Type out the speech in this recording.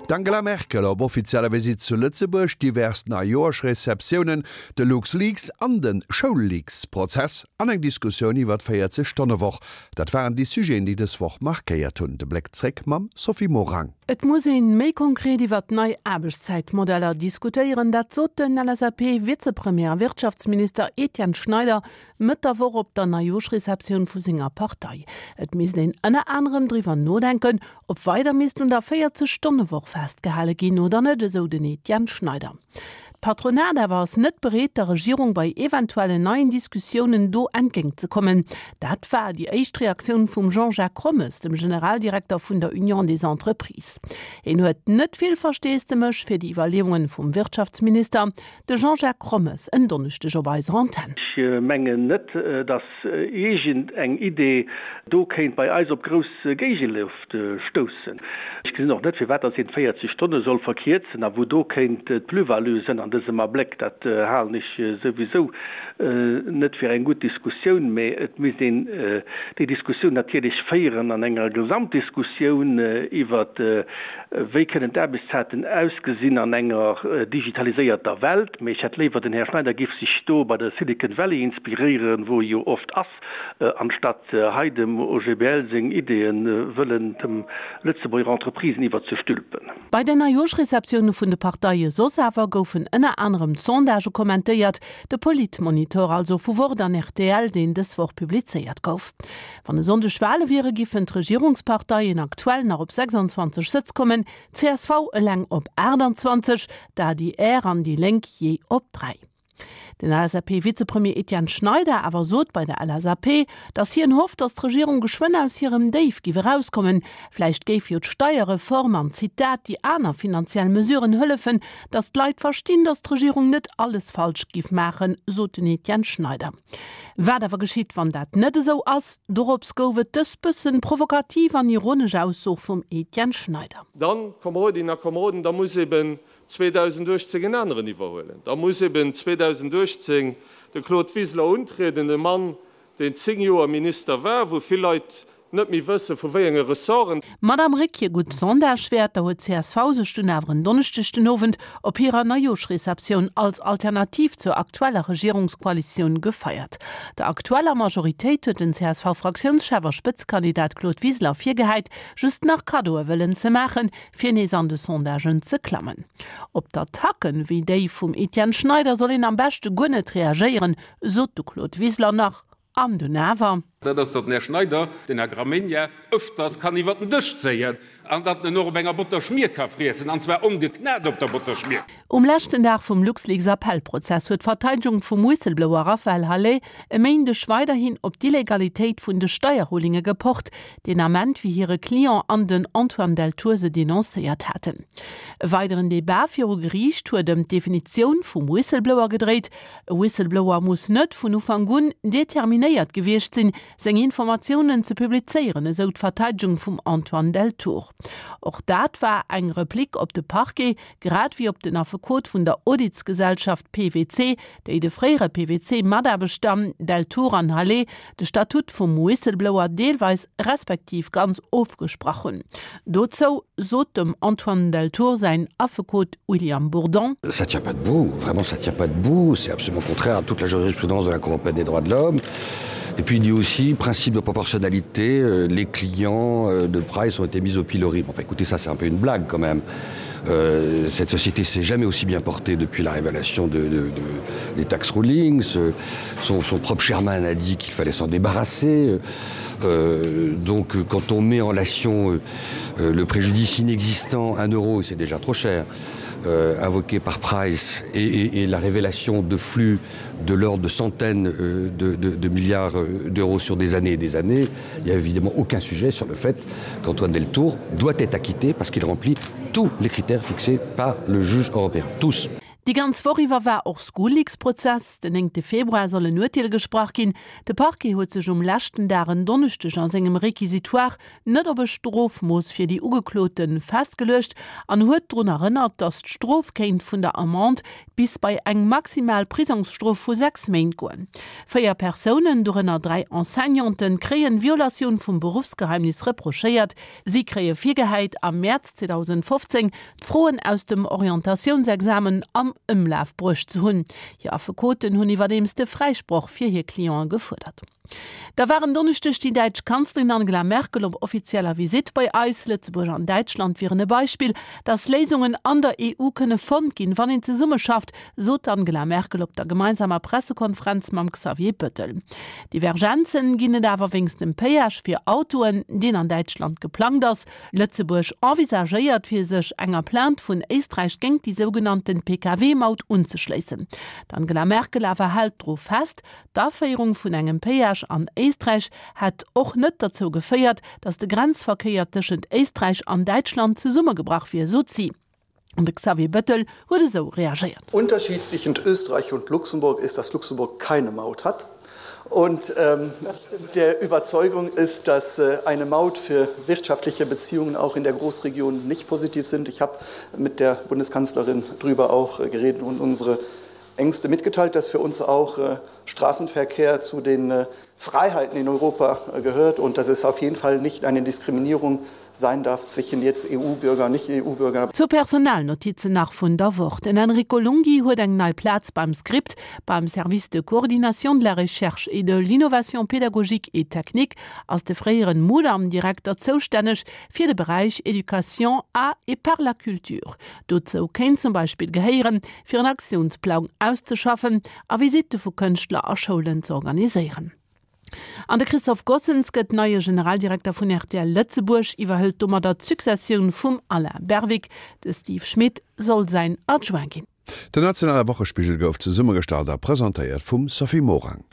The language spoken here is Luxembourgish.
D'Angela Merkel op offizieller Visitt zu Lëtzebuerg, divers Neijoerschreceptiounen, de LuxLeaks an de Schoulleaks-Prozess an eng Diskussioun iwwer d'Véierzeg Stonne-Woch, dat waren déi Sujeten, déi dës Woch markéiert hunn. De Bléck zréck mam Sophie Morang. Et muss een méi konkret iwwert nei Aarbechtszäitmodeller diskutéieren, dat sot den LSAP-Vizepremier a Wirtschaftsminister Etienne Schneider Mëtt der Woch op der Neijooschreceptioun vu senger Partei. Et misst een ënner anerem driwwer nodenken, ob weider misst un der 40 Stonne-Woch festgehale ginn oder net, esou den Etienne Schneider. D'Patronat awer ass net bereet, der Regierung bei eventuellen neien Diskussiounen do entgéint ze kommen. Dat war déi éischt Reaktioun vum Jean-Jacques Rommes, dem Generaldirekter vun der Union des Entreprises. Hien huet net vill Versteesdemech fir déi Iwwerleeunge vum Wirtschaftsminister. De Jean-Jacques Rommes en Donneschdeg op eiser Antenn. Ech mengen net, datt iergend eng Idee do kéint bei eis op grouss Géigeloft stoussen. Ech gesinn och net, firwat datt een d'véierzeg Stonne soll verkierzen a wou do kéint d'Plus-value sënn an dësem Abléck. Dat halen ech souwisou net fir eng gutt Diskussioun, mä et misst een déi Diskussioun natierlech féieren an enger Gesamtdiskussioun iwwert, wéi kënnen d'Aarbechtszäiten ausgesinn an enger digitaliséierter Welt. Mä ech hätt léiwer, den Här Schneider géif sech do bei der Silicon Valley inspiréieren, wou e jo oft ass, anstatt hei dem OGBL seng Ideeën wëllen dem Lëtzebuerger Entreprisen iwwerzestülpen. Bei der Neijooschreceptioune vun de Parteie soss awer goufen ënner anerem d'Sondagë kommentéiert, de Politmonitor also vu Wort an rtl, deen dës Woch publizéiert gouf. Wann e Sonndeg Wale wiere giffen d'Regierungsparteien aktuell nach op 26 Sëtz kommen, csv eleng op 28, d'ADR an déi Lénk jee op 3. Den LSAP-Vizepremier Etienne Schneider awer sot bei der LSAP, datt hien hofft, datt d'Regierung geschwënn aus hirem Déif giff erauskommen. Vläicht géif jo d'Steierreform an, Zitat, déi aner finanziell Mesuren hëllefen, datt d'Leit verstinn, datt d'Regierung net alles falsch giff maachen, sot den Etienne Schneider. Wat awer geschitt, wann dat net esou ass? Dorops gouf et dës bëssen provokativ an ironesch Ausso vum Etienne Schneider. Dann, Komerodinnen a Komeroden, da muss eben 2018 en aneren iwwerhuelen. Da muss eben 2018 de Claude Wiseler untrieden, e Mann, deen 10 Joer Minister war, wou vill Leit net méi wësse vu wéi enge Ressorten. D'Madame Rick hir gutt Sondagewäerter huet csv sech dunn awer en Donneschdeg den Owend op hirer Neijooschreceptioun als Alternativ zur aktueller Regierungskoalitioun gefeiert. Der aktueller Majoritéit huet den CSV-Fraktiounschef a Spëtzekandidat Claude Wiseler virgehäit, just nach Kaddoe wëllen ze maachen, fir nees an de Sondagen ze klammen. Op d'Attacken wéi déi vum Etienne Schneider soll een am beschte guer net reagéieren, sot de Claude Wiseler nach. An dunn awer. Dat ass, datt den Här Schneider den Här Gramegna öfters kann iwwert den Dësch zéien an datt en och op enger Botterschmier ka friessen, an zwar ongeknat op der Botterschmier. Um leschten Dag vum LuxLeaks-Appellprozess huet d'Verteidegung vum Whistleblower Raphaël Halet e Méindeg weiderhin op d'Illegalitéit vun de Steierrulinge gepocht, deen Ament wéi hire Client an den Antoine Deltour se denoncéiert haten. E weideren Debat viru Geriicht huet ëm d'Definitioun vum Whistleblower gedréit. E Whistleblower muss net vun Ufank un determinéiert gewiescht sinn, seng Informatiounen ze publizéieren, esou d'Verteidegung vum Antoine Deltour. Och dat war eng Replique op de Parquet, grad wéi op den Affekot vun der Auditsgesellschaft PwC, déi de fréiere PwC-Mataarbechter Deltour an Halet de Statut vum Whistleblower deelweis respektiv ganz ofgesprach hunn. Dozou sot dem Antoine Deltour säin Affekot William Bourdon. Ça tient pas debout, vraiment ça tient pas debout, c'est absolument contraire à toute la jurisprudence de la Cour européenne des droits de l'homme. Et puis il dit aussi principe de proportionnalité, euh, les clients euh, de Price ont été mis au pilori. Enfin écoutez ça c'est un peu une blague quand même. Euh, cette société s'est jamais aussi bien portée depuis la révélation de, de, de, des tax rulings. Son, son propre chairman a dit qu'il fallait s'en débarrasser. Euh, donc quand on met en relation euh, euh, le préjudice inexistant 1 euro c'est déjà trop cher euh, invoqué par Price et, et, et la révélation de flux de l'ordre de centaines euh, de, de, de milliards euh, d'euros sur des années et des années, il n'y a évidemment aucun sujet sur le fait qu'Antoine Deltour doit être acquitté parce qu'il remplit tous les critères fixés par le juge européen tous. Déi ganz Woch iwwer war och Schoolleaks-Prozess. Den néngte Februar soll en Urteel gesprach ginn. De Parquet huet sech um leschten Dag en Donneschdeg a sengem Réquisitoire net op e Strofmooss fir déi Ugeklote festgeluecht an huet drun erënnert, datt d'Strof kéint vun der Amende bis bei eng maximal Prisongsstrof vu 6 Méint goen. 4 Persounen, dorënner 3 Enseignanten, kréien Violatioun vum Beruffsgeheimnis reprochéiert. Si kréie virgehäit, am Mäerz 2015 d'Froen aus dem Orientatiounsexamen am Ëmlaf bruecht ze hunn. Hir Affekoten hunn iwwerdeems de Fräisproch fir hir Cliente gefuerdert. Da war en Donneschdeg déi däitsch Kanzlerin Angela Merkel op offizieller Visitt bei eis. Lëtzebuerg an Däitschland wieren e Beispill, datt Léisungen an der EU kënne fonnt ginn, wann een zesummeschafft, sot d'Angela Merkel op der gemeinsamer Pressekonferenz mam Xavier Bettel. Divergenzen ginn et awer wéinst dem Péage fir Autoen, deen an Däitschland geplangt ass. Lëtzebuerg envisagéiert fir sech enger Plainte vun Éisträich géingt déi sougenannten Pkw-Maut unzeschléissen. D'Angela Merkel awer hält dru fest, d'Aféierung vun engem Péage an Éisträich hätt och net derzou geféiert, datt de Grenzverkéier tëschent Éisträich an Däitschland zesummegebrach wier, sot si. An de Xavier Bettel huet esou reagéiert. Unterschied zwischen Österreich und Luxemburg ist, dass Luxemburg keine Maut hat und ähm, der Überzeugung ist, dass äh, eine Maut für wirtschaftliche Beziehungen auch in der Großregion nicht positiv sind. Ich habe mit der Bundeskanzlerin darüber auch äh, geredet und unsere Ängste mitgeteilt, dass für uns auch äh, Straßenverkehr zu den äh, Freiheiten in Europa äh, gehört und dass es auf jeden Fall nicht eine Diskriminierung sein darf zwischen jetzt EU-Bürger und nicht EU-Bürger. Zwou Personalnotizen nach vun der Woch. Den Enrico Lunghi huet eng nei Plaz beim Script, beim Service de coordination de la recherche et de l'innovation pédagogique et technique ass de fréieren Mudam-Direkter zoustänneg fir de Beräich Éducation à et par la culture. Dozou kéint zum Beispill gehéieren, fir en Aktiounsplang auszeschaffen a Visitte vu Kënschtler a Schoulen ze organiséieren. An de Christophe Gossens gëtt neie Generaldirekter vun rtl Lëtzebuerg, iwwerhëlt domadder d'Successioun vum Alain Berwick. De Steve Schmit soll säin Adjoint ginn. Den nationale Wochespigel gouf zesummegestallt a presentéiert vum Sophie Morang.